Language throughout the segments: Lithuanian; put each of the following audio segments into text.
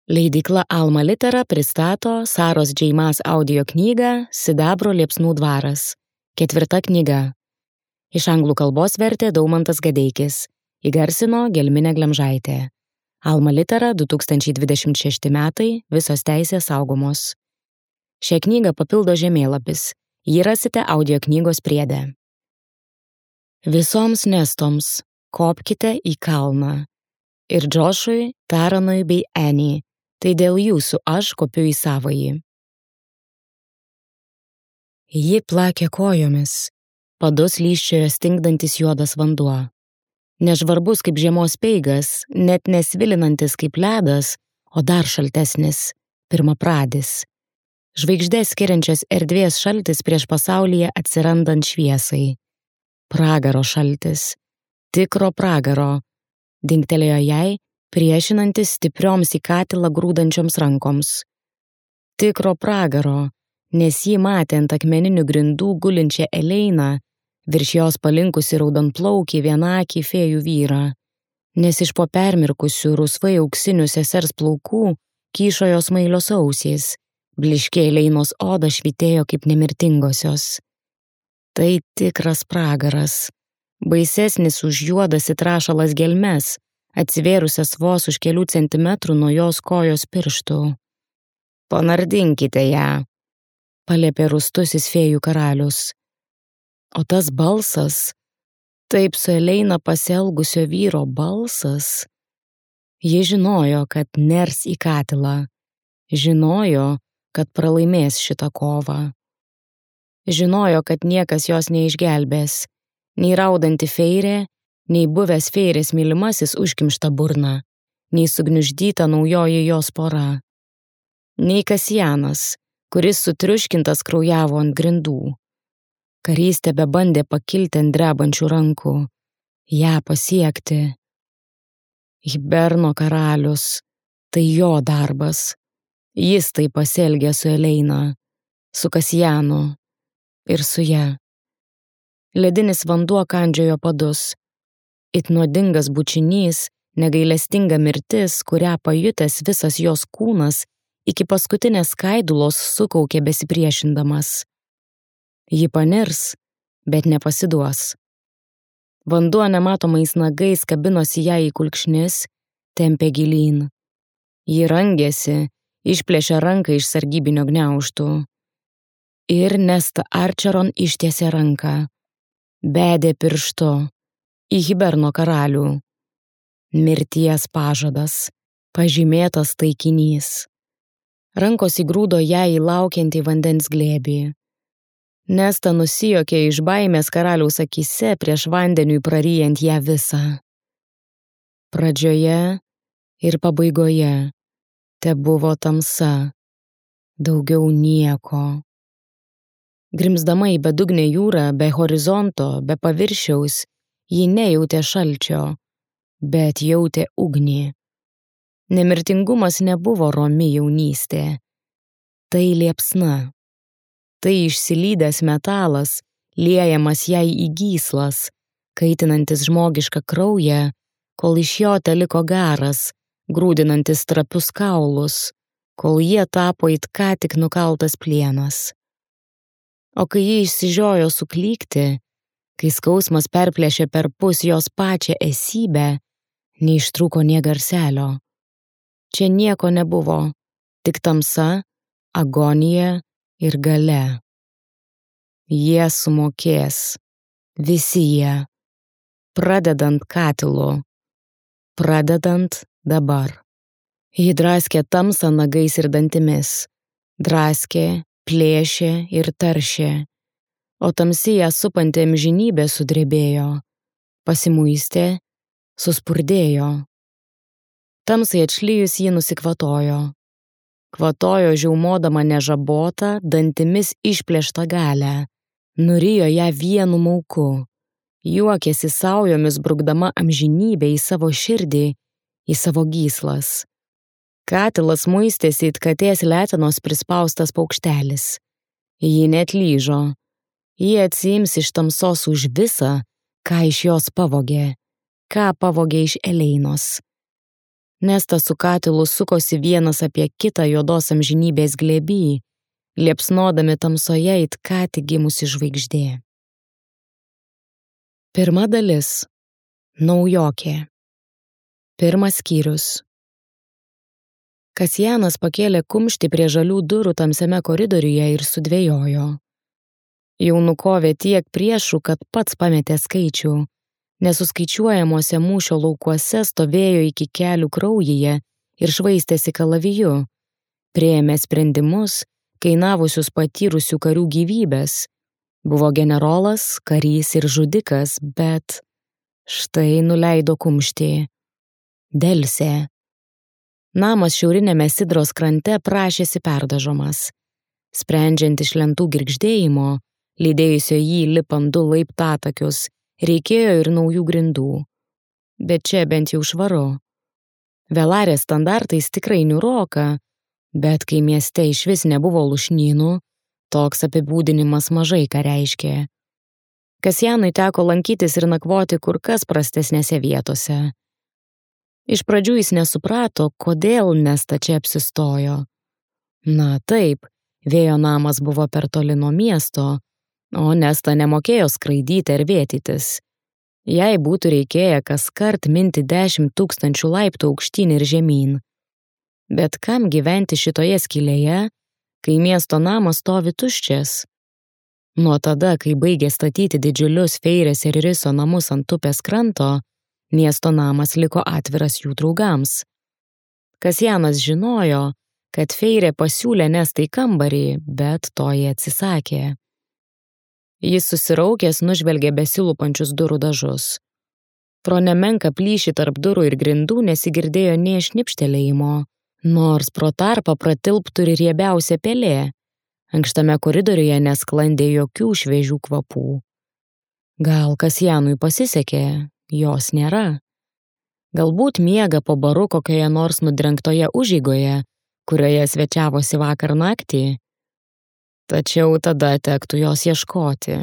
Leidykla Alma Litera pristato Saros Džeimas audio knygą Sidabro liepsnų dvaras. 4 knyga. Iš anglų kalbos vertė Daumantas Gadeikis. Įgarsino Gelminė Glemžaitė. Alma Litera 2026 metai, visos teisės saugomos. Šią knygą papildo žemėlapis. Jį rasite audio knygos priede. Visoms nestoms kopkite į kalną. Ir Džošui, Taranui bei Eni. Tai dėl jūsų aš kopiu į savąjį. Ji plakė kojomis, padus lyščiojo stingdantis juodas vanduo. Nežvarbus kaip žiemos peigas, net nesvilinantis kaip ledas, o dar šaltesnis, pirmapradis. Žvaigždės skiriančios erdvės šaltis prieš pasaulyje atsirandant šviesai. Pragaro šaltis, tikro pragaro, dingtelėjo jai, priešinantis stiprioms į katilą grūdančioms rankoms. Tikro pragaro, nes jį matė ant akmeninių grindų gulinčią Eleiną, virš jos palinkusi raudonplaukį vienakį fėjų vyrą, nes iš po permirkusių rusvai auksinių sesers plaukų kyšo jos smailios ausys, bliškė Eleinos oda švytėjo kaip nemirtingosios. Tai tikras pragaras, baisesnis už juodas įtrašalas gelmes, atsivėrusias vos už kelių centimetrų nuo jos kojos pirštų. Panardinkite ją, paliepė rūstusis fėjų karalius. O tas balsas, taip su Eleina pasielgusio vyro balsas, ji žinojo, kad ners į katilą, žinojo, kad pralaimės šitą kovą. Žinojo, kad niekas jos neišgelbės, nei raudanti feirė, nei buvęs feirės mylimasis užkimšta burna, nei sugniuždyta naujoji jos pora, nei Kasjanas, kuris sutriuškintas kraujavo ant grindų. Karys tebebandė pakilti ant drebančių rankų, ją pasiekti. Hiberno karalius, tai jo darbas. Jis tai pasielgė su Eleina, su Kasjanu ir su ja. Ledinis vanduo kandžiojo padus. It nuodingas bučinys, negailestinga mirtis, kurią pajutęs visas jos kūnas iki paskutinės skaidulos sukaukė besipriešindamas. Ji panirs, bet nepasiduos. Vanduo nematomais nagais kabinosi ją į kulkšnis, tempė gilyn. Ji rangėsi, išplėšė ranką iš sargybinio gniaužtų. Ir Nesta Archeron ištiesė ranką, bedė pirštu į Hiberno karalių. Mirties pažadas, pažymėtas taikinys. Rankos įgrūdo ją į laukiantį vandens glėbį. Nesta nusijuokė iš baimės karaliaus akyse prieš vandeniui praryjant ją visą. Pradžioje ir pabaigoje tebuvo tamsa, daugiau nieko. Grimzdama į bedugnę jūrą, be horizonto, be paviršiaus, ji nejautė šalčio, bet jautė ugnį. Nemirtingumas nebuvo romi jaunystė. Tai liepsna. Tai išsilydęs metalas, liejamas jai į gyslas, kaitinantis žmogišką kraują, kol iš jo teliko garas, grūdinantis trapius kaulus, kol jie tapo it ką tik nukaltas plienas. O kai ji išsižiojo suklykti, kai skausmas perplėšė perpus jos pačią esybę, neištrūko nė garselio. Čia nieko nebuvo, tik tamsa, agonija ir galia. Jie sumokės, visi jie, pradedant katilu, pradedant dabar. Ji draskė tamsą nagais ir dantimis, draskė, plėšė ir taršė, o tamsi ją supanti amžinybė sudrebėjo, pasimuistė, suspurdėjo. Tamsai atšlijus ji nusikvatojo. Kvatojo žiaumodama nežabotą, dantimis išplėštą galę, nurijo ją vienu mauku, juokėsi saujomis brukdama amžinybę į savo širdį, į savo gyslas. Katilas muistėsi it katės letenos prispaustas paukštelis. Ji neatlyžo. Ji atsiims iš tamsos už visą, ką iš jos pavogė, ką pavogė iš Eleinos. Nesta su katilu sukosi vienas apie kitą juodos amžinybės glėby, liepsnodami tamsoje it ką tik gimusi žvaigždė. Pirma dalis. Naujokė. Pirmas skyrius. Kasjanas pakėlė kumštį prie žalių durų tamsiame koridoriuje ir sudvejojo. Jau nukovė tiek priešų, kad pats pametė skaičių. Nesuskaičiuojamuose mūšio laukuose stovėjo iki kelių kraujyje ir švaistėsi kalaviju. Priėmė sprendimus, kainavusius patyrusių karių gyvybės. Buvo generolas, karys ir žudikas, bet štai nuleido kumštį. Delsė. Namas šiaurinėme Sidros krante prašėsi perdažomas. Sprendžiant iš lentų girgždėjimo, lydėjusio jį lipant 2 laiptatakius, reikėjo ir naujų grindų. Bet čia bent jau švaru. Velarės standartais tikrai niūroka, bet kai mieste išvis nebuvo lušnynų, toks apibūdinimas mažai ką reiškė. Kasjanui teko lankytis ir nakvoti kur kas prastesnėse vietose. Iš pradžių jis nesuprato, kodėl Nesta čia apsistojo. Na taip, vėjo namas buvo per toli nuo miesto, o Nesta nemokėjo skraidyti ar vėtytis. Jai būtų reikėję kaskart minti 10 000 laiptų aukštyn ir žemyn. Bet kam gyventi šitoje skylėje, kai miesto namas stovi tuščias? Nuo tada, kai baigė statyti didžiulius Feirės ir Riso namus ant upės kranto, miesto namas liko atviras jų draugams. Kasjanas žinojo, kad Feirė pasiūlė Nestai kambarį, bet to jie atsisakė. Jis susiraukęs nužvelgė besilupančius durų dažus. Pro nemenką plyšį tarp durų ir grindų nesigirdėjo nė šnipštelėjimo, nors pro tarpą pratilptų ir riebiausia pelė. Ankštame koridoriuje nesklandė jokių šviežių kvapų. Gal Kasjanui pasisekė, jos nėra. Galbūt miega po baru kokioje nors nudrengtoje užeigoje, kurioje svečiavosi vakar naktį. Tačiau tada tektų jos ieškoti.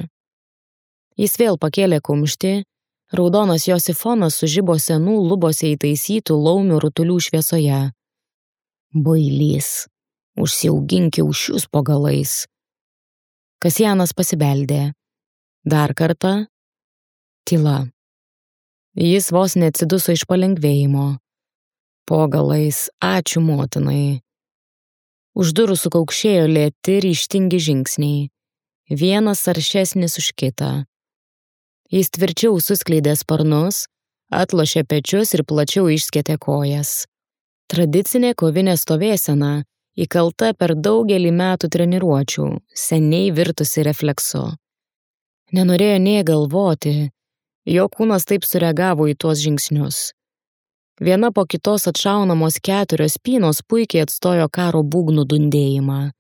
Jis vėl pakėlė kumštį, raudonas jo sifonas sužibo senų lubose įtaisytų laumių rutulių šviesoje. Bailys, užsiaugink kiaušius po galais. Kasjanas pasibeldė. Dar kartą. Tyla. Jis vos neatsiduso iš palengvėjimo. Po galais, ačiū motinai. Už durų sukaukšėjo lėti ryžtingi žingsniai. Vienas aršesnis už kitą. Jis tvirčiau suskleidė sparnus, atlošė pečius ir plačiau išskėtė kojas. Tradicinė kovinė stovėsena, įkalta per daugelį metų treniruočių, seniai virtusi refleksu. Nenorėjo nė galvoti, jo kūnas taip sureagavo į tuos žingsnius. Viena po kitos atšaunamos 4 spynos puikiai atstojo karo būgnų dundėjimą.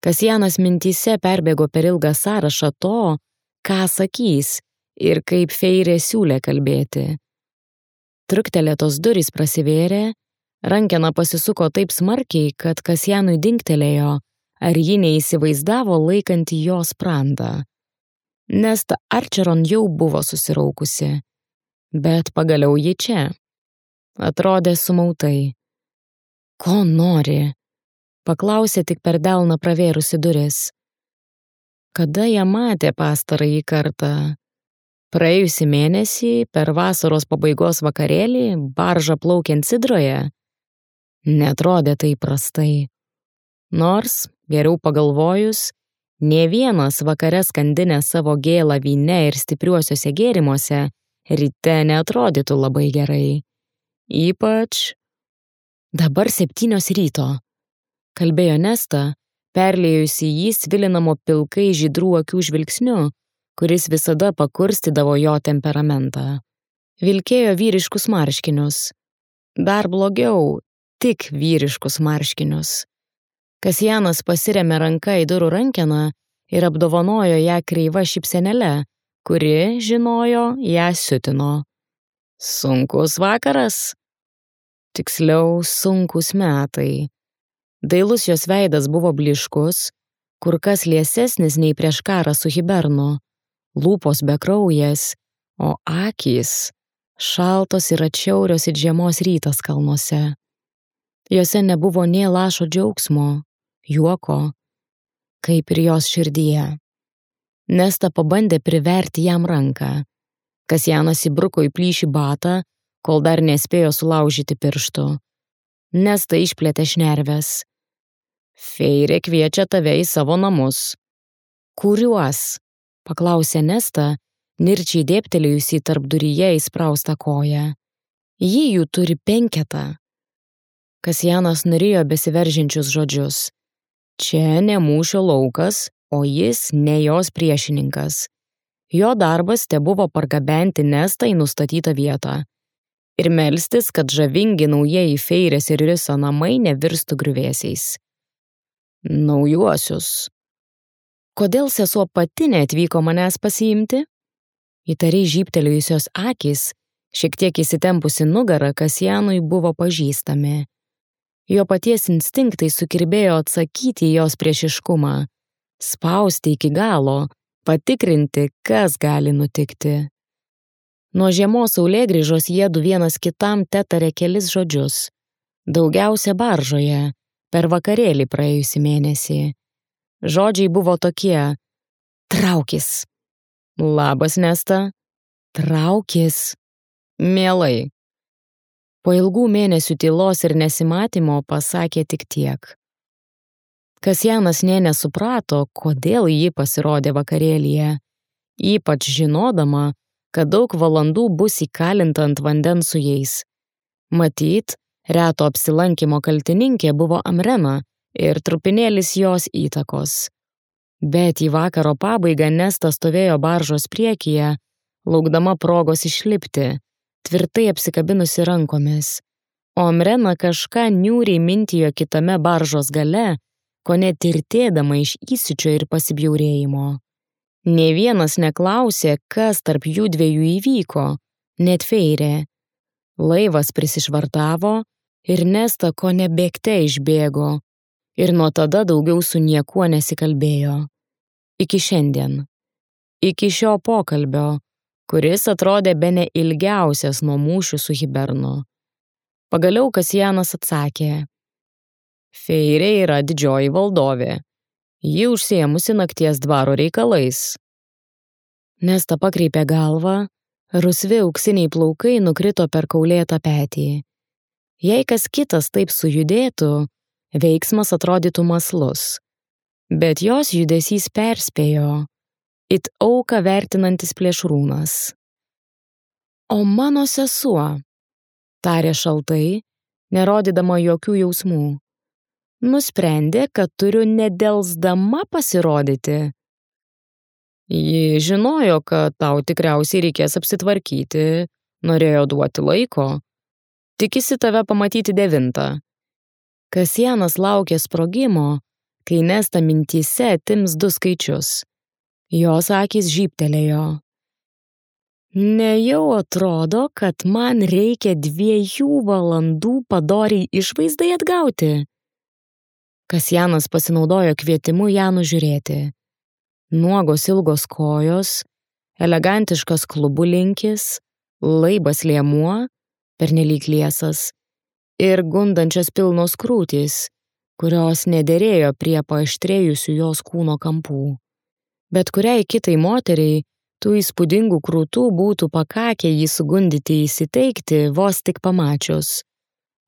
Kasjanas mintyse perbėgo per ilgą sąrašą to, ką sakys ir kaip Feirė siūlė kalbėti. Truktelėtos durys prasivėrė, rankena pasisuko taip smarkiai, kad Kasjanui dingtelėjo, ar ji neįsivaizdavo laikanti jo sprandą. Nesta Archeron jau buvo susiraukusi, bet pagaliau ji čia. Atrodė sumautai. Ko nori? Paklausė tik per delną pravėrusi duris. Kada ją matė pastarąjį kartą? Praėjusį mėnesį, per vasaros pabaigos vakarėlį, baržą plaukiant Sidroje? Neatrodė tai prastai. Nors, geriau pagalvojus, nė vienas vakare skandinę savo gėlą vyne ir stipriuosiuose gėrimuose ryte neatrodytų labai gerai. Ypač dabar 7 ryto, kalbėjo Nesta, perliejusi jį svilinamo pilkai žydrų akių žvilgsniu, kuris visada pakurstydavo jo temperamentą. Vilkėjo vyriškus marškinius. Dar blogiau, tik vyriškus marškinius. Kasjanas pasirėmė ranka į durų rankeną ir apdovanojo ją kreiva šypsenėle, kuri, žinojo, ją siutino. Sunkus vakaras? Tiksliau, sunkus metai. Dailus jos veidas buvo blyškus, kur kas liesesnis nei prieš karą su Hibernu, lūpos bekraujės, o akys Šaltos ir atšiaurios it žiemos rytas kalnuose. Jose nebuvo nė lašo džiaugsmo, juoko, kaip ir jos širdyje. Nesta pabandė priverti jam ranką. Kasjanas įbruko į plyšį batą, kol dar nespėjo sulaužyti pirštų. Nesta išplėtė šnerves. Feirė kviečia tave į savo namus. Kuriuos? Paklausė Nesta, nirčiai dėptelėjusi tarp duryje įspraustą koją. Ji jų turi 5. Kasjanas norėjo besiveržinčius žodžius. Čia ne mūšio laukas, o jis ne jos priešininkas. Jo darbas tebuvo pargabenti Nestą į nustatytą vietą ir melstis, kad žavingi naujieji Feirės ir Riso namai nevirstų griuvėsiais. Naujuosius. Kodėl sesuo pati neatvyko manęs pasiimti? Įtariai žybtelėjusios akys, šiek tiek įsitempusi nugarą, Kasjanui buvo pažįstami. Jo paties instinktai sukirbėjo atsakyti į jos priešiškumą, spausti iki galo, patikrinti, kas gali nutikti. Nuo žiemos saulėgrįžos jiedu vienas kitam tetarė kelis žodžius. Daugiausia baržoje, per vakarėlį praėjusį mėnesį. Žodžiai buvo tokie: traukis. Labas, Nesta. Traukis. Mielai. Po ilgų mėnesių tylos ir nesimatymo pasakė tik tiek. Kasjanas nė nesuprato, kodėl ji pasirodė vakarėlyje, ypač žinodama, kad daug valandų bus įkalinta ant vandens su jais. Matyt, reto apsilankimo kaltininkė buvo Amrena ir trupinėlis jos įtakos. Bet į vakaro pabaigą Nesta stovėjo baržos priekyje, laukdama progos išlipti, tvirtai apsikabinusi rankomis, o Amrena kažką niūriai mintijo kitame baržos gale, kone tirtėdama iš įsiūčio ir pasibjaurėjimo. Nė vienas neklausė, kas tarp jų dviejų įvyko, net Feirė. Laivas prisišvartavo ir Nesta kone bėgte išbėgo ir nuo tada daugiau su niekuo nesikalbėjo. Iki šiandien. Iki šio pokalbio, kuris atrodė bene ilgiausias nuo mūšių su Hibernu. Pagaliau Kasjanas atsakė: Feirė yra didžioji valdovė. Ji užsiėmusi nakties dvaro reikalais. Nesta pakreipė galvą, rusvi auksiniai plaukai nukrito per kaulėtą petį. Jei kas kitas taip sujudėtų, veiksmas atrodytų mąslus. Bet jos judesys perspėjo, it auką vertinantis plėšrūnas. O mano sesuo, tarė šaltai, nerodydama jokių jausmų. Nusprendė, kad turiu nedelsdama pasirodyti. Ji žinojo, kad tau tikriausiai reikės apsitvarkyti, norėjo duoti laiko. Tikisi tave pamatyti 9. Kasjanas laukė sprogimo, kai Nesta mintyse atims 2 skaičius. Jos akys žybtelėjo. Nejau atrodo, kad man reikia 2 valandų padoriai išvaizdai atgauti. Kasjanas pasinaudojo kvietimu ją nužiūrėti. Nuogos ilgos kojos, elegantiškas klubų linkis, laibas liemuo, pernelyg liesas, ir gundančios pilnos krūtys, kurios nederėjo prie paaštrėjusių jos kūno kampų. Bet kuriai kitai moteriai tų įspūdingų krūtų būtų pakakę jį sugundyti įsiteikti vos tik pamačius.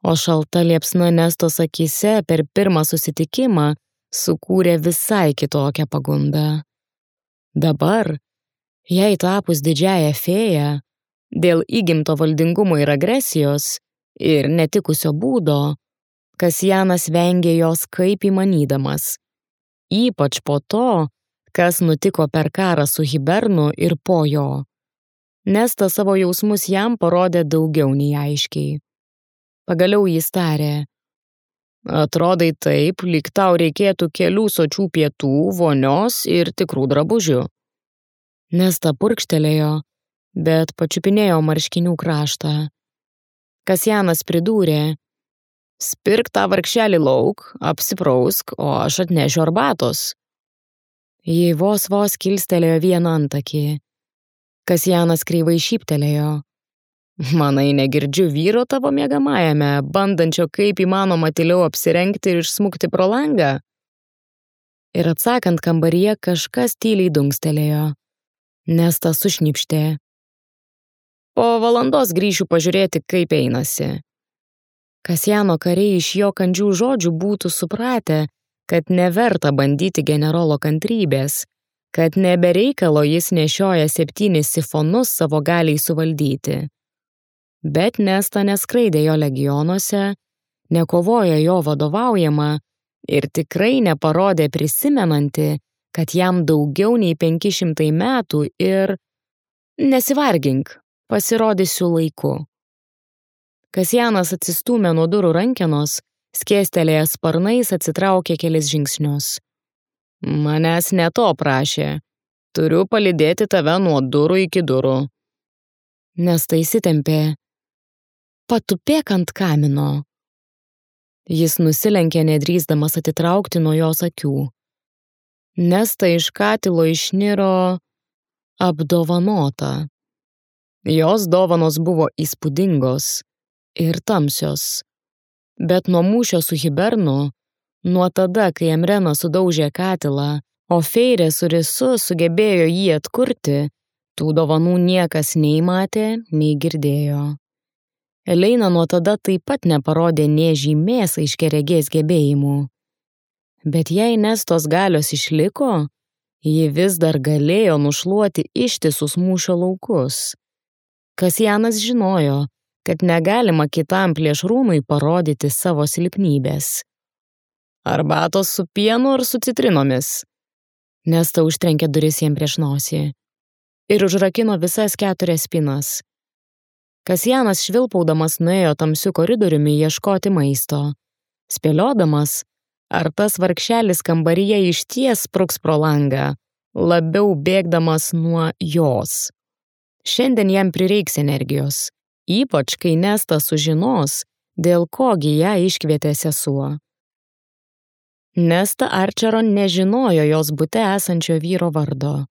O šalta liepsna Nestos akyse per pirmą susitikimą sukūrė visai kitokią pagundą. Dabar, jai tapus didžiąją fėją, dėl įgimto valdingumo ir agresijos ir netikusio būdo, Kasjanas vengė jos kaip įmanydamas, ypač po to, kas nutiko per karą su Hibernu ir po jo. Nesta savo jausmus jam parodė daugiau nei aiškiai. Pagaliau jis tarė: Atrodai taip, lyg tau reikėtų kelių sočių pietų, vonios ir tikrų drabužių. Nesta purkštelėjo, bet pačiupinėjo marškinių kraštą. Kasjanas pridūrė: Spirk tą vargšelį lauk, apsiprausk, o aš atnešiu arbatos. Ji vos kilstelėjo vieną antakį. Kasjanas kreivai šyptelėjo. Manai, negirdžiu vyro tavo miegamajame, bandančio kaip įmanoma tyliau apsirengti ir išsmukti pro langą? Ir atsakant kambaryje kažkas tyliai dunkstelėjo. Nesta sušnipštė. Po valandos grįšiu pažiūrėti, kaip einasi. Kasjano kariai iš jo kandžių žodžių būtų supratę, kad neverta bandyti generolo kantrybės, kad nebereikalo jis nešioja 7 sifonus savo galiai suvaldyti. Bet Nesta neskraidė jo legionuose, nekovoja jo vadovaujama ir tikrai neparodė prisimenanti, kad jam daugiau nei 500 metų ir nesivargink, pasirodysiu laiku. Kasjanas atsistūmė nuo durų rankenos, skėstelėjęs sparnais atsitraukė kelis žingsnius. Manęs ne to prašė. Turiu palydėti tave nuo durų iki durų. Nesta įsitempė. Patupėk ant kamino. Jis nusilenkė nedrįsdamas atitraukti nuo jos akių. Nesta iš katilo išniro apdovanota. Jos dovanos buvo įspūdingos ir tamsios. Bet nuo mūšio su Hibernu, nuo tada, kai Emrenas sudaužė katilą, o Feirė su Risu sugebėjo jį atkurti, tų dovanų niekas nei matė, nei girdėjo. Eleina nuo tada taip pat neparodė nė žymės aiškiaregės gebėjimų. Bet jei Nestos galios išliko, ji vis dar galėjo nušluoti ištisus mūšio laukus. Kasjanas žinojo, kad negalima kitam plėšrūnui parodyti savo silpnybės. Arbatos su pienu ar su citrinomis? Nesta užtrenkė duris jam prieš nosį ir užrakino visas 4 spynas. Kasjanas švilpaudamas nuėjo tamsiu koridoriumi ieškoti maisto, spėliodamas, ar tas vargšelis kambaryje išties spruks pro langą, labiau bėgdamas nuo jos. Šiandien jam prireiks energijos, ypač kai Nesta sužinos, dėl kogi ją iškvietė sesuo. Nesta Archeron nežinojo jos bute esančio vyro vardo.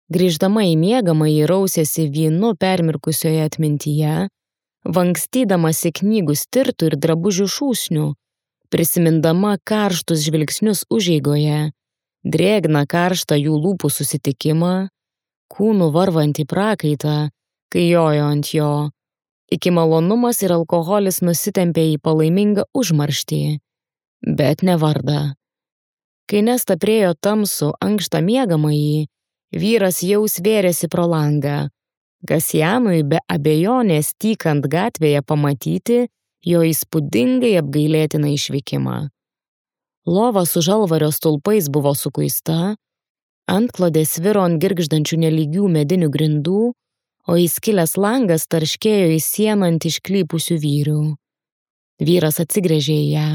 Grįždama į miegamąjį rausėsi vynu permirkusioje atmintyje, vankstydamasi knygų stirtų ir drabužių šūsnių, prisimindama karštus žvilgsnius užeigoje, drėgną karštą jų lūpų susitikimą, kūnų varvantį prakaitą, kai jojo ant jo, iki malonumas ir alkoholis nusitempė į palaimingą užmarštį, bet ne vardą. Kai Nesta priėjo tamsų ankštą miegamąjį, vyras jau svėrėsi pro langą, Kasjanui be abejonės tykant gatvėje pamatyti jo įspūdingai apgailėtiną išvykimą. Lova su žalvario stulpais buvo sukuista, antklodė sviro ant girgždančių nelygių medinių grindų, o įskilęs langas tarškėjo į sieną ant išklypusių vyrių. Vyras atsigręžė į ją.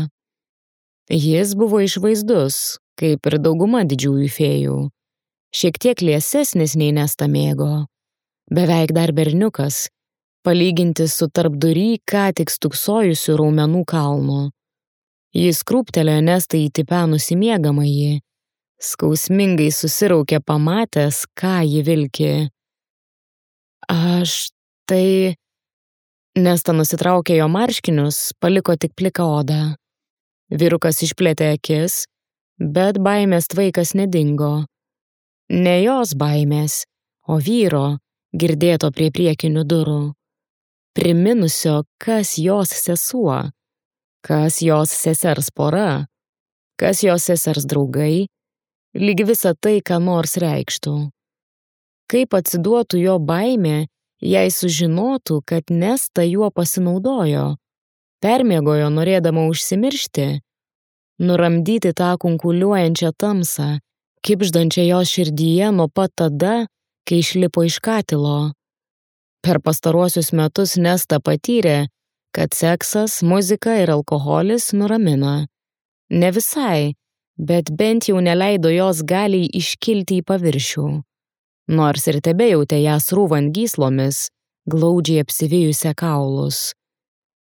Jis buvo išvaizdus, kaip ir dauguma didžiųjų fėjų, šiek tiek liesesnis nei Nesta mėgo, beveik dar berniukas, palyginti su tarpdury ką tik stūksojusiu raumenų kalnu. Jis krūptelėjo Nestą įtipenusį miegamąjį, skausmingai susiraukė pamatęs, ką ji vilki. Tai... Nesta nusitraukė jo marškinius, paliko tik pliką odą. Vyrukas išplėtė akis, bet baimės tvaikas nedingo. Ne jos baimės, o vyro, girdėto prie priekinių durų. Priminusio, kas jos sesuo, kas jos sesers pora, kas jos sesers draugai, lyg visa tai, ką nors reikštų. Kaip atsiduotų jo baimė, jei sužinotų, kad Nesta juo pasinaudojo, permiegojo norėdama užsimiršti, nuramdyti tą kunkuliuojančią tamsą, kibždančią jos širdyje nuo pat tada, kai išlipo iš katilo. Per pastaruosius metus Nesta patyrė, kad seksas, muzika ir alkoholis nuramina. Ne visai, bet bent jau neleido jos galiai iškilti į paviršių. Nors ir tebejautė ją srūvant gyslomis, glaudžiai apsivijusią kaulus.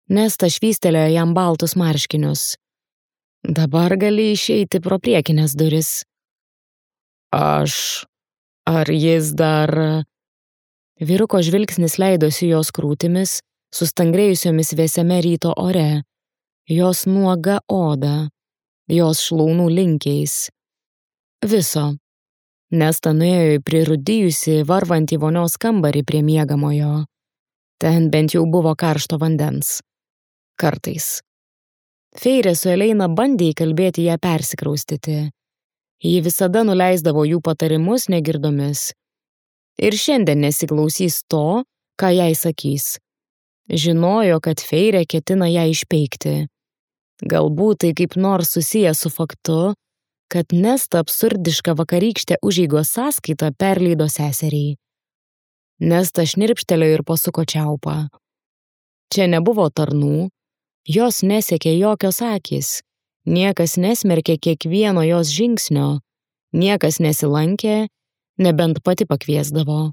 Nesta švystelėjo jam baltus marškinius. Dabar gali išeiti pro priekinės duris. Ar jis dar... Vyruko žvilgsnis leidosi jos krūtimis, sustangrėjusiomis vėsiame ryto ore, jos nuoga oda, jos šlaunų linkiais. Viso. Nesta nuėjo į prirūdijusi, varvantį vonios kambarį prie miegamojo. Ten bent jau buvo karšto vandens. Kartais. Feirė su Eleina bandė įkalbėti ją persikraustyti. Ji visada nuleisdavo jų patarimus negirdomis. Ir šiandien nesiklausys to, ką jai sakys. Žinojo, kad Feirė ketina ją išpeikti. Galbūt tai kaip nors susiję su faktu, kad Nesta absurdišką vakarykštę užeigos sąskaitą perleido seseriai. Nesta šnirpštelėjo ir pasuko čiaupą. Čia nebuvo tarnų, jos nesekė jokios akys, niekas nesmerkė kiekvieno jos žingsnio, niekas nesilankė, nebent pati pakviesdavo.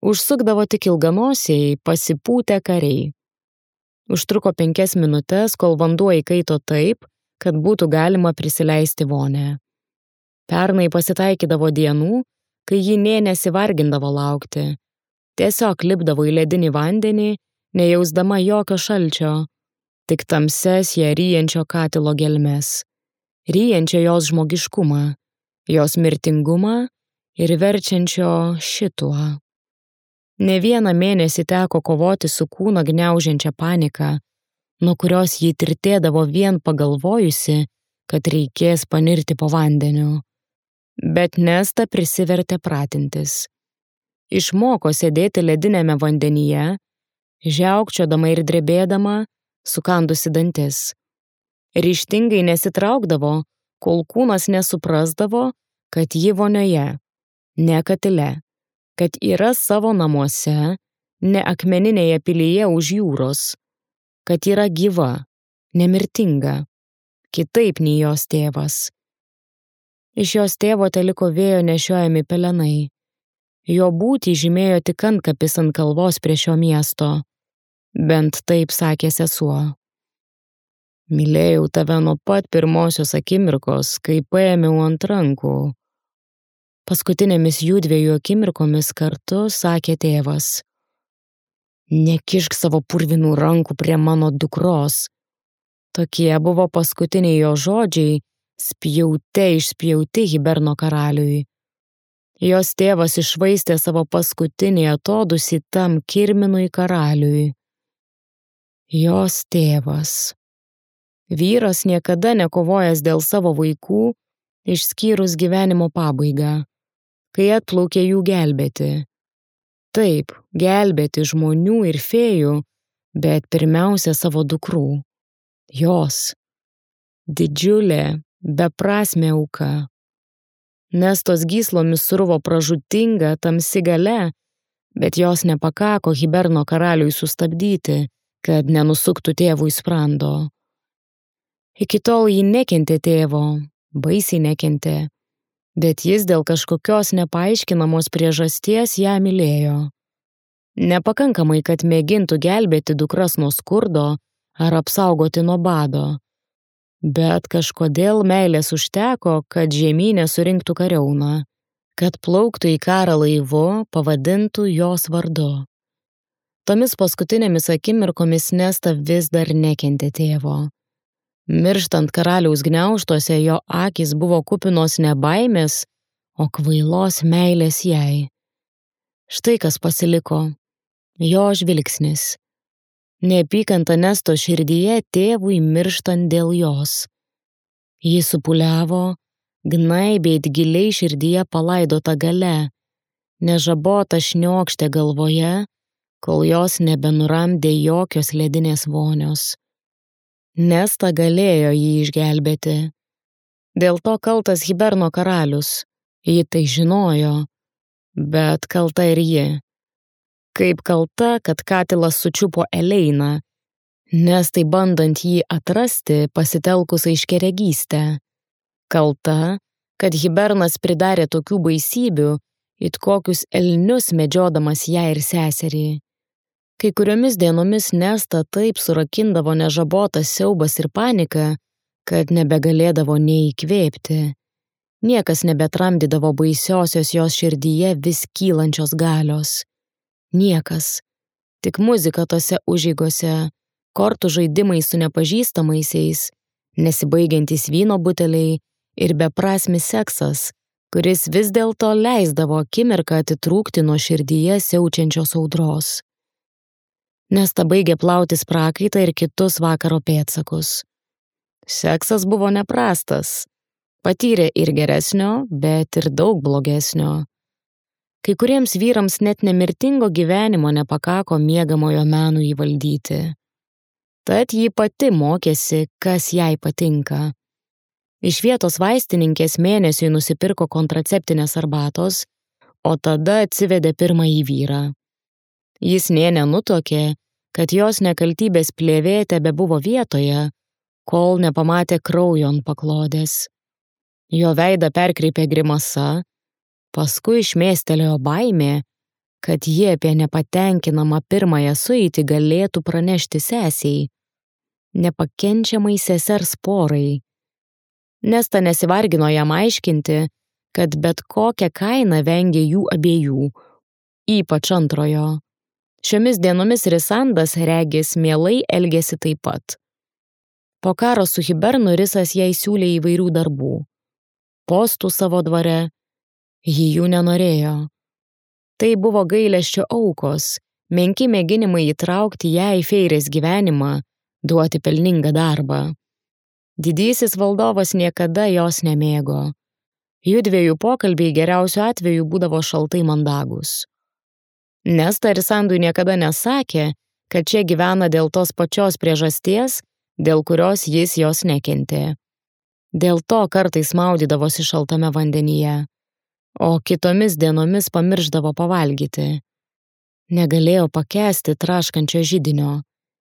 Užsukdavo tik ilganosiai, pasipūtę kariai. Užtruko 5 minutes, kol vanduo įkaito taip, kad būtų galima prisileisti vonę. Pernai pasitaikydavo dienų, kai ji nė nesivargindavo laukti. Tiesiog lipdavo į ledinį vandenį, nejausdama jokio šalčio, tik tamses ją ryjančio katilo gelmes, ryjančio jos žmogiškumą, jos mirtingumą ir verčiančio šituo. Ne vieną mėnesį teko kovoti su kūną gniaužiančia panika, nuo kurios ji tirtėdavo vien pagalvojusi, kad reikės panirti po vandeniu. Bet Nesta prisivertė pratintis. Išmoko sėdėti ledinėme vandenyje, žiaukčiodama ir drebėdama, sukandusi dantis. Ryžtingai nesitraukdavo, kol kūnas nesuprasdavo, kad ji vonioje, ne katile, kad yra savo namuose, ne akmeninėje pilyje už jūros, kad yra gyva, nemirtinga, kitaip nei jos tėvas. Iš jos tėvo teliko vėjo nešiojami pelenai. Jo būtį žymėjo tik antkapis ant kalvos prie šio miesto. Bent taip sakė sesuo. Mylėjau tave nuo pat pirmosios akimirkos, kai paėmiau ant rankų. Paskutinėmis jųdviejų akimirkomis kartu sakė tėvas. Nekišk savo purvinų rankų prie mano dukros. Tokie buvo paskutiniai jo žodžiai, spjaute išspjauti Hiberno karaliui. Jos tėvas iššvaistė savo paskutinį atodūsį tam kirminui karaliui. Jos tėvas. Vyras niekada nekovojęs dėl savo vaikų, išskyrus gyvenimo pabaigą, kai atplaukė jų gelbėti. Taip, gelbėti žmonių ir fėjų, bet pirmiausia savo dukrų. Jos. Didžiulė, beprasmė auka. Nestos gyslomis survo pražūtinga tamsi galia, bet jos nepakako Hiberno karaliui sustabdyti, kad nenusuktų tėvui sprando. Iki tol ji nekentė tėvo, baisiai nekentė, bet jis dėl kažkokios nepaaiškinamos priežasties ją mylėjo. Nepakankamai, kad mėgintų gelbėti dukras nuo skurdo ar apsaugoti nuo bado, bet kažkodėl meilės užteko, kad žemynė surinktų kariauną, kad plauktų į karą laivu, pavadintų jos vardu. Tomis paskutinėmis akimirkomis Nesta vis dar nekentė tėvo. Mirštant karaliaus gniaužtuose jo akys buvo kupinos ne baimės, o kvailos meilės jai. Štai kas pasiliko. Jo žvilgsnis. Neapykanta Nestos širdyje tėvui mirštant dėl jos. Ji supūliavo, gnaibėt giliai širdyje palaidota gale, nežabota šniokštė galvoje, kol jos nebenuramdė jokios ledinės vonios. Nesta galėjo jį išgelbėti. Dėl to kaltas Hiberno karalius. Ji tai žinojo, bet kalta ir ji. Kaip kalta, kad katilas sučiupo Eleiną, Nestai bandant jį atrasti pasitelkus aiškiaregystę. Kalta, kad Hibernas pridarė tokių baisybių, it kokius elnius medžiodamas ją ir seserį. Kai kuriomis dienomis Nesta taip surakindavo nežabotas siaubas ir panika, kad nebegalėdavo nei įkvėpti. Niekas nebetramdydavo baisiosios jos širdyje vis kylančios galios. Niekas. Tik muzika tose užeigose, kortų žaidimai su nepažįstamaisiais, nesibaigiantys vyno buteliai ir beprasmis seksas, kuris vis dėlto leisdavo akimirką atitrūkti nuo širdyje siaučiančios audros. Nesta baigė plautis prakaitą ir kitus vakaro pėdsakus. Seksas buvo neprastas. Patyrė ir geresnio, bet ir daug blogesnio. Kai kuriems vyrams net nemirtingo gyvenimo nepakako miegamojo menų įvaldyti. Tad ji pati mokėsi, kas jai patinka. Iš vietos vaistininkės mėnesiui nusipirko kontraceptinės arbatos, o tada atsivedė pirmąjį vyrą. Jis nė nenutuokė, kad jos nekaltybės plėvė tebebuvo vietoje, kol nepamatė kraujo ant paklodės. Jo veidą perkreipė grimasa, paskui išmėstelėjo baimė, kad jie apie nepatenkinamą pirmąją sueitį galėtų pranešti sesiai, nepakenčiamai sesers porai. Nesta nesivargino jam aiškinti, kad bet kokią kainą vengė jų abiejų, ypač antrojo. Šiomis dienomis Risandas regis mielai elgėsi taip pat. Po karo su Hibernu Risas jai siūlė įvairių darbų. Postų savo dvare, ji jų nenorėjo. Tai buvo gailesčio aukos, menki mėginimai įtraukti ją į feirės gyvenimą, duoti pelningą darbą. Didysis valdovas niekada jos nemėgo. Judviejų pokalbiai geriausiu atveju būdavo šaltai mandagus. Nesta Risandui niekada nesakė, kad čia gyvena dėl tos pačios priežasties, dėl kurios jis jos nekentė. Dėl to kartais maudydavosi šaltame vandenyje, o kitomis dienomis pamirždavo pavalgyti. Negalėjo pakęsti traškančio židinio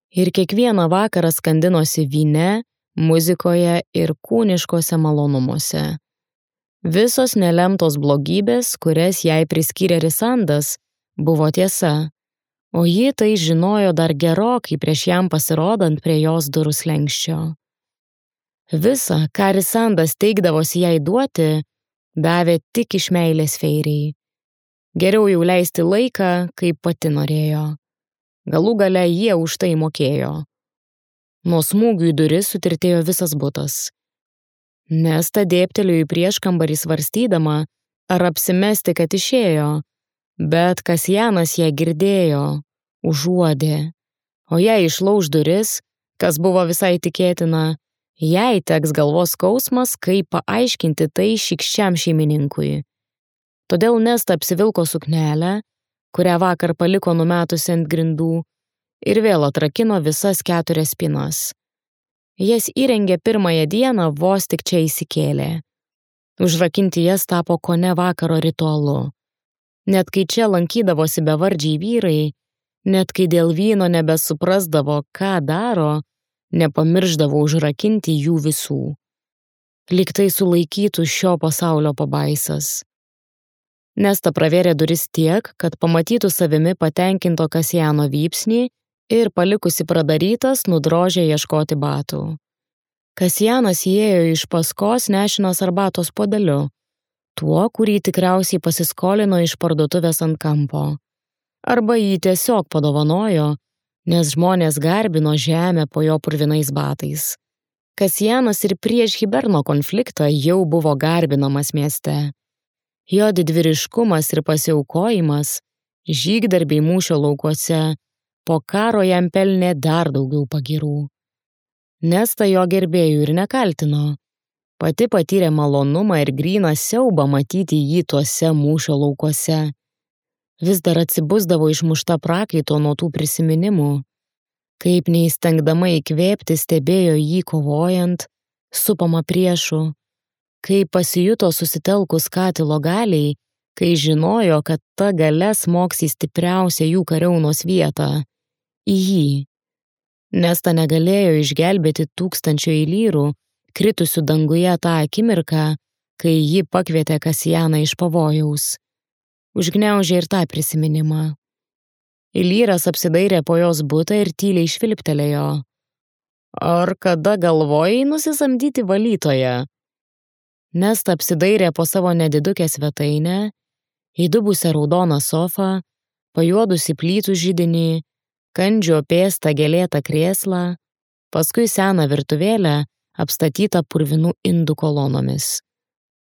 ir kiekvieną vakarą skandinosi vyne, muzikoje ir kūniškose malonumuose. Visos nelemtos blogybės, kurias jai priskyrė Risandas, buvo tiesa, o ji tai žinojo dar gerokai prieš jam pasirodant prie jos durų slenksčio. Visa, ką Risandas teigdavosi jai duoti, davė tik iš meilės feiriai. Geriau jau leisti laiką, kaip pati norėjo. Galų gale jie už tai mokėjo. Nuo smūgių į duris sutirtėjo visas butas. Nesta dėbtelėjo į prieškambarį svarstydama, ar apsimesti, kad išėjo, bet Kasjanas ją girdėjo, užuodė, o jei išlauž duris, kas buvo visai tikėtina, jai teks galvos skausmas, kaip paaiškinti tai šykščiam šeimininkui. Todėl Nesta apsivilko suknelę, kurią vakar paliko numetusi ant grindų, ir vėl atrakino visas 4 spynas. Jas įrengė pirmąją dieną, vos tik čia įsikėlė. Užrakinti jas tapo kone vakaro ritualu. Net kai čia lankydavosi bevardžiai vyrai, net kai dėl vyno nebesuprasdavo, ką daro, nepamirždavo užrakinti jų visų. Lyg tai sulaikytų šio pasaulio pabaisas. Nesta pravėrė duris tiek, kad pamatytų savimi patenkinto Kasjano vypsnį ir palikusi pradarytas nudrožė ieškoti batų. Kasjanas įėjo iš paskos nešinas arbatos puodeliu, tuo, kurį tikriausiai pasiskolino iš parduotuvės ant kampo. Arba jį tiesiog padovanojo, nes žmonės garbino žemę po jo purvinais batais. Kasjanas ir prieš Hiberno konfliktą jau buvo garbinamas mieste. Jo didvyriškumas ir pasiaukojimas, žygdarbiai mūšio laukuose, po karo jam pelnė dar daugiau pagyrų. Nesta jo gerbėjų ir nekaltino. Pati patyrė malonumą ir gryną siaubą matyti jį tuose mūšio laukuose. Vis dar atsibusdavo išmušta prakaito nuo tų prisiminimų. Kaip neįstengdama įkvėpti stebėjo jį kovojant, supama priešų. Kaip pasijuto susitelkus katilo galiai, kai žinojo, kad ta galia smogs į stipriausią jų kariaunos vietą – į jį. Nesta negalėjo išgelbėti tūkstančio lyrų, kritusių danguje tą akimirką, kai ji pakvietė Kasjaną iš pavojaus. Užgniaužė ir tą prisiminimą. Lyras apsidairė po jos butą ir tyliai švilptelėjo. Ar kada galvojai nusisamdyti valytoją? Nesta apsidairė po savo nedidukę svetainę, įdubusią raudoną sofą, pajuodusį plytų židinį, kandžio pėstą gėlėtą krėslą, paskui seną virtuvėlę apstatytą purvinų indų kolonomis.